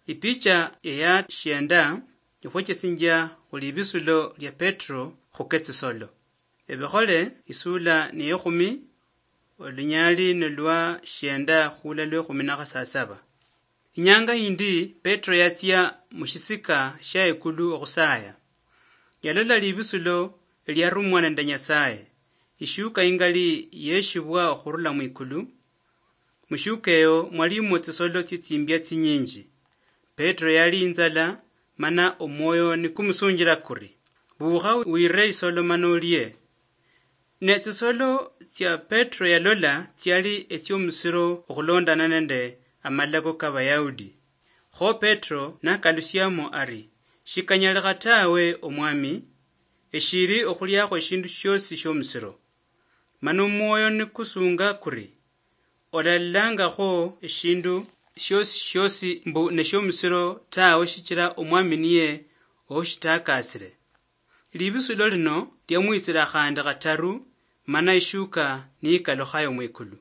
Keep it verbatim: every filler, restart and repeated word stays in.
Ipicha eya shienda ikhwechesinjia khuli ibisulo lia Petro khuketsisolo. Ebikhole isula niyekhumi, olunyali nolwa shienda khula lwekhumi na khasasaba. Inyanga yindi Petro yatsia mushisika shia ikulu okhusaya. Yalola libisulo eliarumwa nende Nyasaye, ishuka ingali yeshibwa okhurula mwikulu. Mushuka eyo mwalimwo tsisolo tsitsimbia tsinyinji. Petro yali inzala, mana omwoyo nikumusunjila kuri, "Bukha wire isolo mana olie." Ne tsisolo tsia Petro yalola tsiali etsiomusiro okhulondana nende amalako ka Bayahudi. Kho Petro nakalusiamo ari, "Shikanyalikha tawe, Omwami, eshiri okhuliakho eshindu shiosi shiomusiro." Mana omwoyo nikusunga kuri, "Olalangakho eshindu shiosi shiosi mbu neshiomusiro tawe, shichira Omwami niye oushitakasire." Libisulo lino liamwitsila khandi khataru, mana ishuka niyikalukhayo mwikulu.